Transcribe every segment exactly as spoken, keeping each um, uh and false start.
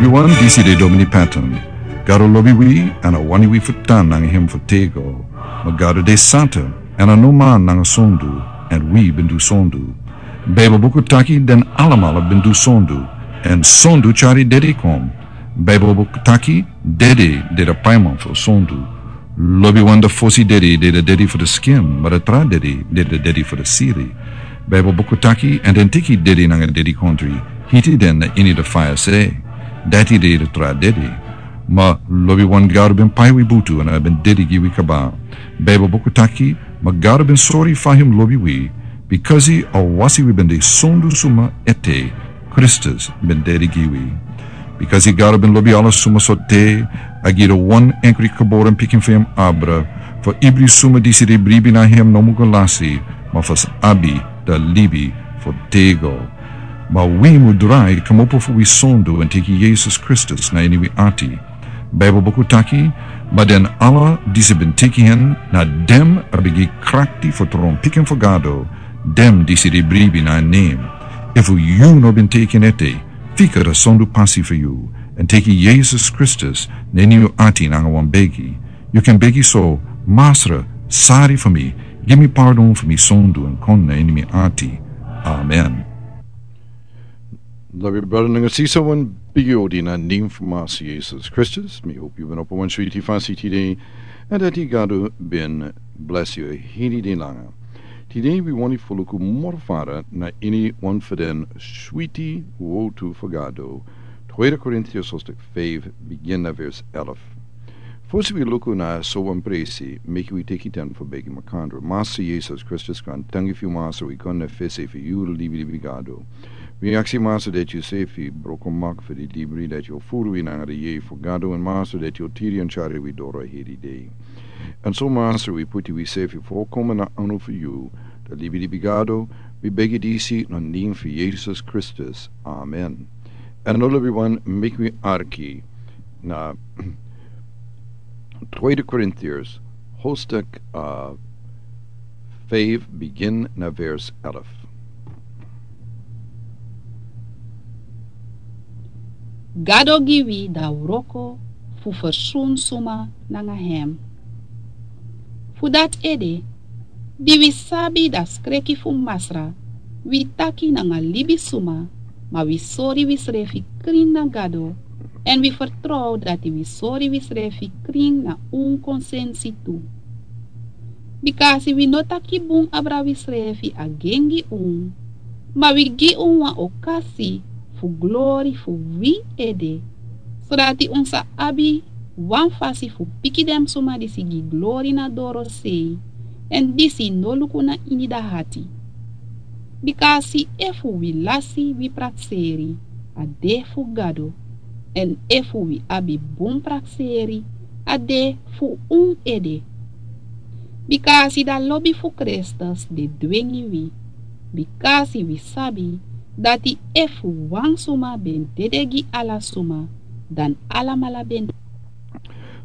Wi wan disi de Domini Patton. Gado lobi wi, èn a wani wi fu tan nanga hem fu tego. Ma Gado de santa, èn a no man nanga sondu, èn wi ben du sondu. Baibel buku taki den alamala ben du sondu, èn sondu tyari dedi kon. Baibel buku taki dedi de da paiman fu sondu. Lobi wan da fosi dedi de da dedi fu da skin, ma da tra dedi de da dedi fu da siri. Baibel buku taki, èn den teki dedi nanga dedi kontri, hiti den na ini da faya se. Dati de da tra dedi. Ma lobi wan Gado ben pai wi butu èn a ben dedi gi wi kaba. Baibel buku taki, ma Gado ben sori fa hem lobi wi, bikasi a wasi wi ben de sondu suma ete, Kristus ben dedi gi wi. Bikasi Gado ben lobi ala suma so te, a gi da wan enkri kaboran pikin fu hem abra, fu ibri suma disi de bribi na hem no mu go lasi, ma fu sa abi da libi fu tego. Ma wi mu drai kmopo fu wi sondu èn teki Yesus Kristus na ini wi ati. Baibel buku taki, ma den ala disi ben teki hen, na dem a ben gi krakti fu tron pikin fu Gado, dem disi de bribi na nen. Efu yu no ben teki en ete, fika da sondu pasi fu yu, èn teki Yesus Kristus na ini yu ati nanga wan begi. Yu kan begi so, Masra, sari fu mi, gi mi pardon fu mi sondu èn kon na ini mi ati. Amen. Lobi brada nanga sisa, wan bigi odi na nen fu Masra Yesus Kristus. Mi hopi yu ben opo wan switi fasi tide, èn dati Gado ben blesi yu hini de langa. Tide wi wani fu luku moro fara na ini wan fu den switi wotu fu Gado. Tweede Korintiërs hoofdstuk vijf, begin na vers elf. Fosi wi luku na so wan presi, meki wi teki ten fu begi makandra. Masra Yesus Kristus, kon tangi fu yu Masra, wi kon na fesi fu yu libilibi Gado. Wi aksi Masra dati yu sefi broko mak fu di libri, dati yu furu wi nanga di yei fu Gado, èn Masra dati yu tiri èn tyari wi doro heri dei. Èn so Masra wi puti wi sefi fu koma na anu fu yu, da libilibi Gado, wi begi disi na nen fu Yesus Kristus. Amen. Èn now lobi wan, meki wi arki na Tweede Korintiërs hoofdstuk, eh, vijf, begin na vers elf. Gado gi wi da wroko fu fersun suma nanga hem. Fu dati ede, di wi sabi da skreki fu Masra, wi taki nanga libisuma, ma wi sori wisrefi krin na Gado, èn wi fertrow dati wi sori wisrefi krin na un konsensi tu. Bikasi wi no taki bun abra wisrefi a gengi un, ma wi gi un wan okasi fu glori fu wi ede, sodati un sa abi wan fasi fu piki den suma disi gi glori na dorosei, èn disi no luku na ini da hati. Bikasi efu wi lasi wi prakseri, a de fu Gado, èn efu wi abi bun prakseri, a de fu un ede. Bikasi da lobi fu Kristus de dwengi wi, bikasi wi sabi dati efu wan suma ben dede gi ala suma, dan alamala ben.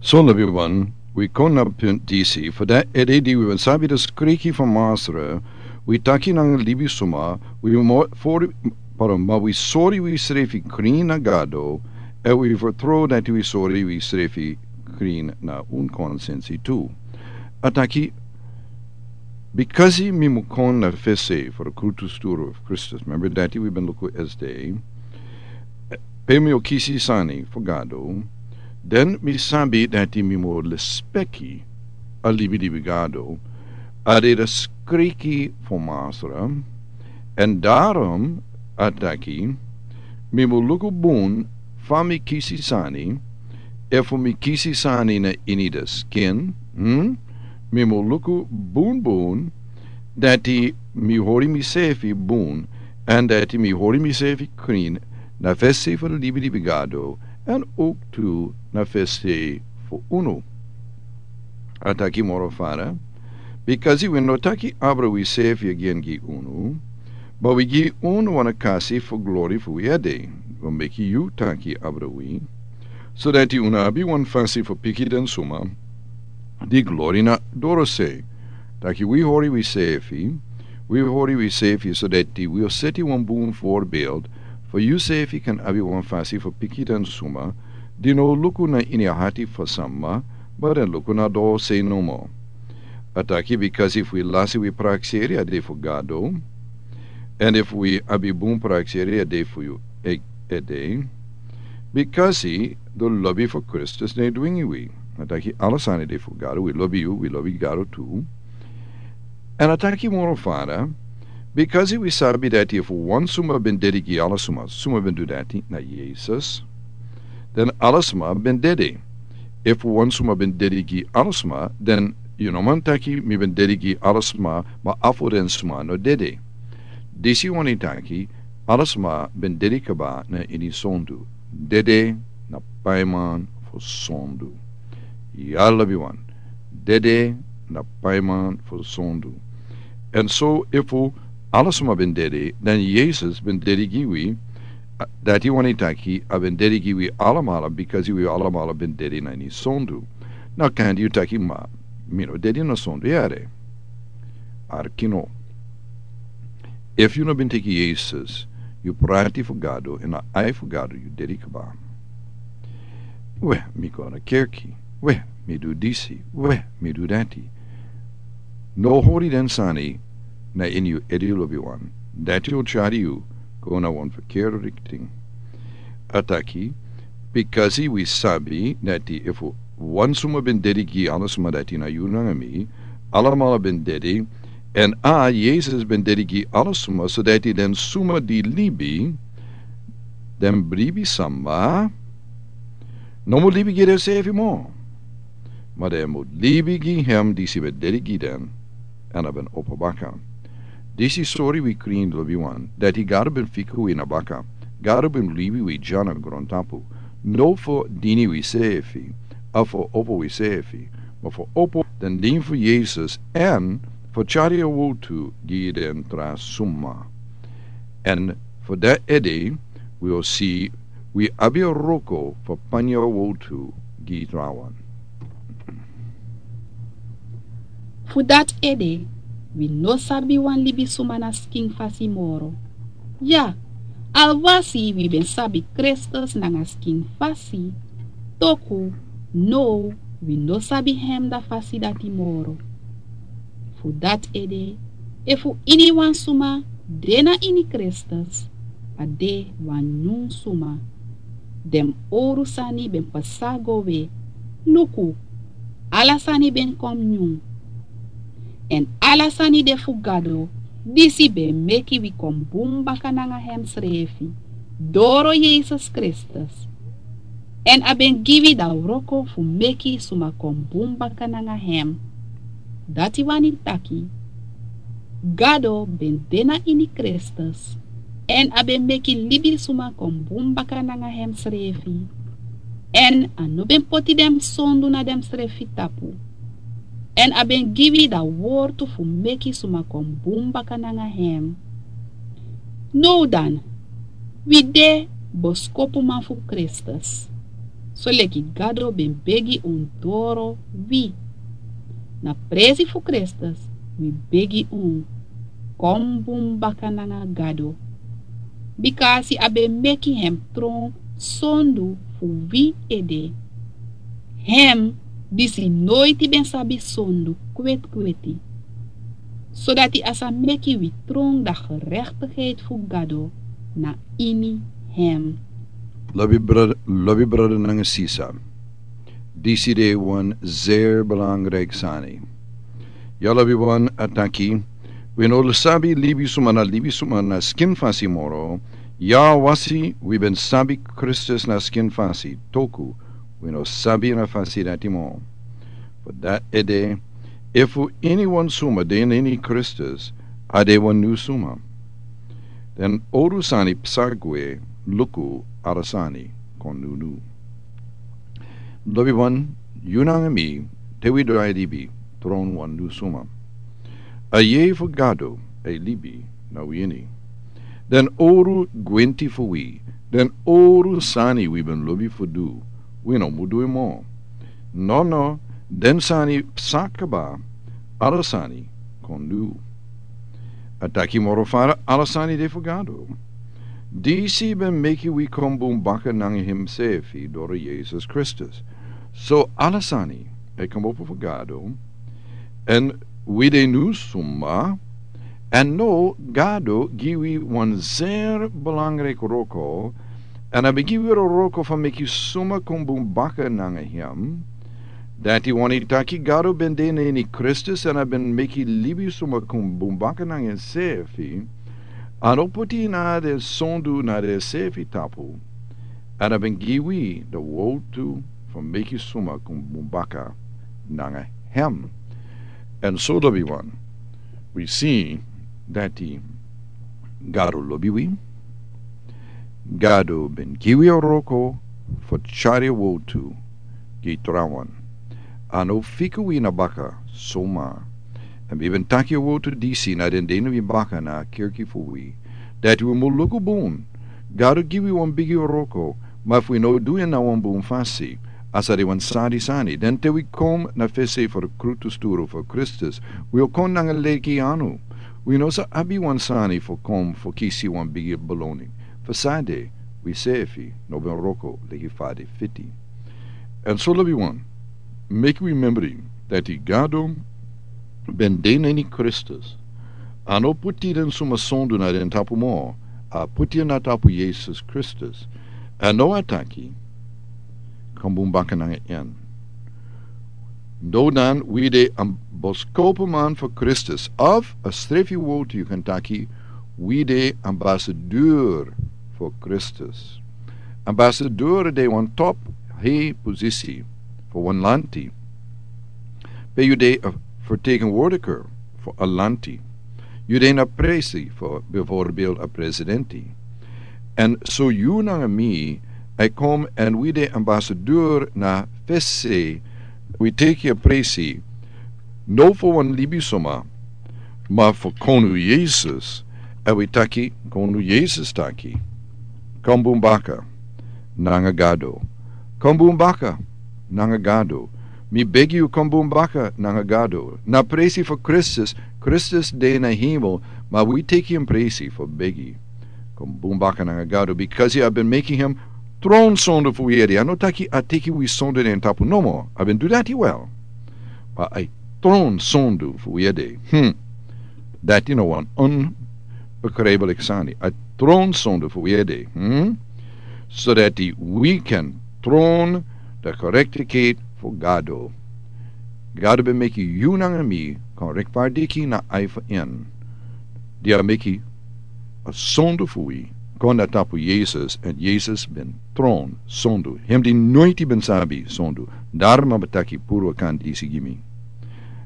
So lobi wan, wi kon na punt disi, fu dati ede di wi ben sabi da skreki fu Masra, wi taki nanga libisuma, wi mo-, for-, pardon, ma wi sori wisrefi krin na Gado, èn wi fertrow dati wi sori wisrefi krin na un konsensi tu. A taki, bikasi mi mu kon na fesi fu da krutu sturu fu Kristus. Member dati wi ben luku esde. Pe mi o kisi sani fu Gado, dan mi sabi dati mi mu lespeki a libilibi Gado, a de da skreki fu Masra, èn daarom a taki, mi mu luku bun fa mi kisi sani, efu mi kisi sani na ini da skin, hm? Mi mu luku bunbun, dati mi hori misefi bun, èn dati mi hori misefi krin, na fesi fu da libilibi Gado, èn owktu na fesi fu unu. A taki moro fara, bikasi wi no taki abra wisefi agen gi unu, ma wi gi unu wan okasi fu glori fu wi ede, wi meki yu taki abra wi, sodati unu abi wan fasi fu piki den suma di glori na dorosei. Taki wi hori wisefi, wi hori wisefi, sodati wi o seti wan bun voorbeeld For yu sefi kan abi wan fasi for piki den suma di no luku na ini a hati for sama, but den luku na doo sei nomo. A taki bikasi fu wi lasi wi prakseri a de fu gado, and if wi abi bun prakseri a de fu yu e- ede, bikasi do lobi for kristus ne dwingi wi. A taki ala sani de fu gado, wi lobi yu, wi lobi gado tu. And a taki moro fada, bikasi wi sabi dati efu wan suma ben dedi gi ala suma, suma ben du dati na yesus, den ala suma ben dedi. Efu wan suma ben dedi gi ala suma, den yu no man taki mi ben dedi gi ala suma, ma afu den suma no dedi. Disi wani taki ala suma ben dedi kaba na ini sondu. Dedi na paiman fu sondu. Ya lobi wan, dedi na paiman fu sondu. And so efu ala suma ben dedi, dan yesus ben dedi gi wi, dati wani taki a ben dedi gi wi alamala, bikasi wi alamala ben dedi na ini sondu. Na kandi yu taki ma mi no dedi na sondu yare. Arkino, efu yu no ben teki yesus, yu prati fu gado, en a ai fu gado yu dedi kaba. We, mi go na kerki. We, mi du disi. We, mi du dati. No hori den sani na ini yu edi lobi wan. Dati o tyari yu go na wan ferkeri rikting. A taki, bikasi wi sabi dati efu wan suma ben dedi gi ala suma dati na yu nanga mi, alamala ben dedi, en a yesus ben dedi gi ala suma, so dati den suma di libi, den bribi samba, no mu libi gi den sefi mo. Ma den mu libi gi hem disi ben dedi gi den, en a ben opo baka. Disi sori wi krin lobi wan, dati gado ben fika wi na baka. Gado ben libi wi dya na grontapu, no fo dini wi sefi, a fo opo wi sefi, ma fo opo den din fu yesus, en fo tyari a wotu gi den tra suma. En fo den ede wi o si wi abi a roko fo panya wotu gi trawan. Fu dati ede, wi no sabi wan libisuma na skin fasi moro. Ya, alwasi wi ben sabi kristus nanga skin fasi, toku now wi no sabi hem da fasi dati moro. Fu dati ede, efu iniwan suma de na ini kristus, a de wan nyun suma. Den owru sani ben pasa go we. Luku, ala sani ben kon nyun. Èn ala sani de fu gado, disi ben meki wi kon bun baka nanga hem srefi, doro yesus kristus. Èn a ben gi wi da wroko fu meki suma kon bun baka nanga hem. Dati wani taki, gado ben de na ini kristus, èn a ben meki libisuma kon bun baka nanga hem srefi. Èn a no ben poti den sondu na den srefi tapu. Èn a ben gi wi da wortu fu meki suma kon bun baka nanga hem. Now dan, wi de boskopuman fu kristus, soleki gado ben begi un doro wi. Na presi fu kristus wi begi un, kon bun baka nanga gado. Bikasi a ben meki hem tron sondu fu wi ede. Hem disi noiti ben sabi sondu kwetkweti, sodati a sa meki wi tron da gerektigheid fu gado na ini hem. Lobi brada nanga sisa, disi de wan zeri belangriki sani. Ya lobi wan a taki, wi no sabi libisuma na libisuma na skin fasi moro. Ya wasi wi ben sabi kristus na skin fasi, toku wi no sabi na fasi dati mo. Fu dati ede, efu iniwan suma de na ini kristus, a de wan nyun suma. Den owru sani psa gwe, luku, ala sani kon nyun. Lobi wan, yu nanga mi, te wi drai libi, tron wan nyun suma. A yei fu gado e libi na wi ini. Den owru gwenti fu wi, den owru sani wi ben lobi fu du, wi no mu du en mo. Nono, den sani psa kaba, ala sani kon nyun. A taki moro fara, ala sani de fu gado. Disi ben meki wi kon bun baka nanga himsefi doro Yesus Kristus. So ala sani e kon opo fu Gado, èn wi de nu suma, èn no, Gado gi wi wan zeri belangriki wroko, èn a ben gi wi wroko fu meki suma kon bun baka nanga hem. Dati wani taki Gado ben de na ini Kristus èn a ben meki libi suma kon bun baka nanga himsefi. A no poti na den sondu na den sefi tapu. Èn a ben gi wi den woutu fu meki suma kon bun baka nanga hem. Èn so lobi wan, wi si dati Gado lobi wi. Gado ben gi wi a wroko fu tyari a woutu gi trawan. A no fika wi na baka suma. Èn wi ben taki a woutu disi na den dei na wi baka na a kerki fu wi, dati wi mu luku bun. Gado gi wi wan bigi wroko, ma efu wi no du en na wan bun fasi, a sa de wan sadi sani. Den te wi kon na fesi fu a krutusduru fu Kristus, wi o kon nanga leki anu. Wi no sa abi wan sani fu kon fu kisi wan bigi boloni. Fu san de, wisefi no ben wroko leki fa a de fiti. Èn so lobi wan, meki wi memori dati Gado ben de na ini Kristus. A no poti den suma sondu na den tapu moro, a poti en na tapu Yesus Kristus. Èn now a taki, kon bun baka nanga en. No dan wi de a boskopuman fu Kristus, of a srefi woutu yu kan taki, wi de ambasador fu Kristus. Ambasador de wan topu hei posisi fu wan lanti. Pe yu de a fertegenwoordiger fu a lanti. Yu de na presi fu bijvoorbeeld a presidenti. Èn so yu nanga mi e kon èn wi de ambasador na fesi, wi teki a presi, no fu wan libisuma, ma fu Konu Yesus, èn wi taki, Konu Yesus taki, kon bun baka nanga Gado. Kon bun baka nanga Gado. Mi begi yu kon bun baka nanga Gado. Na presi fu Kristus, Kristus de na hemel, ma wi teki en presi fu begi. Kon bun baka nanga Gado, bikasi a ben meki hem tron sondu fu wi ede. A no taki a teki wi sondu na en tapu nomo. A ben du dati wel. Ma a tron sondu fu wi ede. Hmm. Dati no wan onbegrijpelijk sani. A tron sondu fu wi ede. Hmm? So dati wi kan tron de gerechtigheid fu Gado. Gado ben meki yu nanga mi kon rechtvaardig na ai fu en. Di a meki a sondu fu wi kon na tapu Yesus, èn Yesus ben tron sondu. Hem di noiti ben sabi sondu. Daarom a ben taki puru a kan disi gi mi.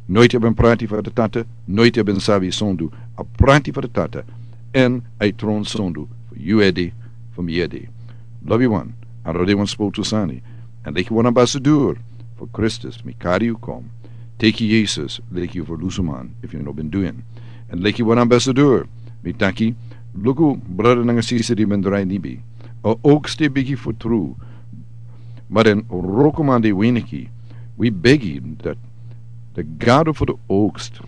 Noiti a ben prati fu a Tata, noiti a ben sabi sondu, a prati fu a Tata, èn a tron sondu fu yu ede, fu mi ede. Lobi wan, a no de wan spotu sani. Èn leki wan ambasador fu Kristus, mi kari yu kon. Teki Yesus leki yu ferlusuman, efu yu no ben du en. Èn leki wan ambasador, mi taki, luku brada nanga sisa di ben drai libi. A oogst de bigi fu tru, ma den wrokoman de weniki. Wi begi dati de Gado fu de oogst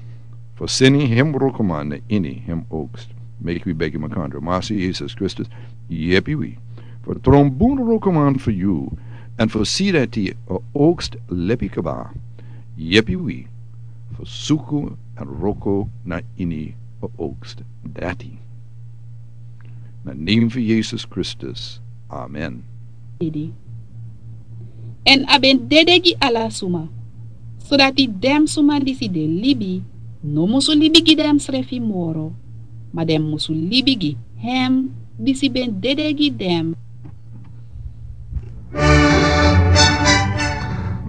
fu seni hem wrokoman na ini hem oogst. Meki wi begi makandra. Masi Yesus Kristus, yepi wi fu tron bun wrokoman fu yu, èn fu si dati a oogst lepi kaba. Yepi wi fu suku èn wroko na ini a oogst dati. Na nen fu Yesus Kristus. Amen. Dede. Èn a ben dede gi ala suma, sodati den suma disi de libi no musu libi gi densrefi moro, ma den musu libi gi hem disi ben dede gi den.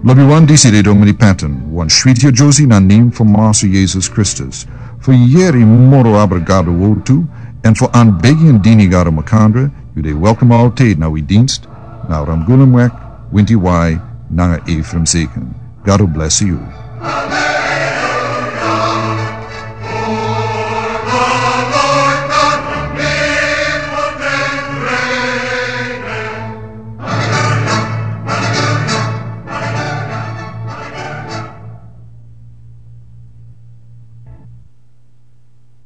Lobi wan, disi de Domini Patton, wan switi a Josie na nen fu Masi Yesus Kristus. Fu yere moro abra Gado wowtu, èn fu anbegi èn dini Gado makandra, yu de welkom altijd na wi dienst, na Ramgulumweg, winti wai, nanga Ephraim Zeken. Gado bless yu.